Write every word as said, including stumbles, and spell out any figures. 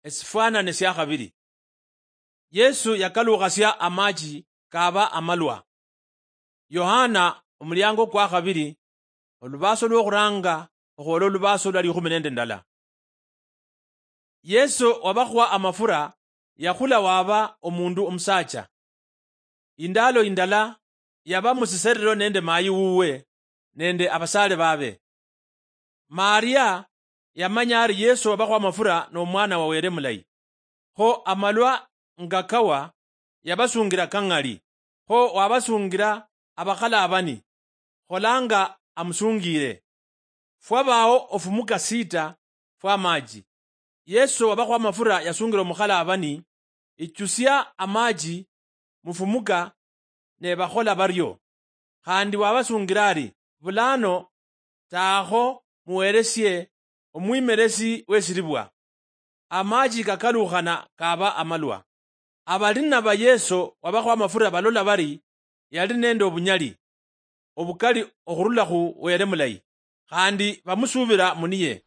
Esifwanane sia khabiri. Yesu yakaluukhasia amachi kaaba amalwa. Yohana, omuliango kwa khabiri, olubaaso lwokhuranga okhwola olubaaso lwa likhumi nende ndala. Yesu wabakhwa amafura yakhula waba omundu omusaacha. Indaalo indala yaba musiserero nende maayi wuwe nende abasaale baabe. Maria yamanya ari Yesu wabakhwa amafura n'omwana wa Wele mulayi. Kho amalwa nga kawa, yabasungira kang'ali. Kho wabasungira abakhalaabani, kholanga amusungiire. Fwabaao ofumuka sita fw'amaachi. Yesu wabakhwa amafura yasungira omukhalaabani, ichusia amaachi mufumuka, ne bakhola bario. Khandi wabasungira ari, bulano taakho muweresie omwimeresi w'esiribwa. Amachi kakalukhana kaba amalwa. Abalina ba Yesu wabakhwa amafura balola bari yali nende obunyali obukali okhurula khu Wele mulayi, khandi bamusuubira muniye.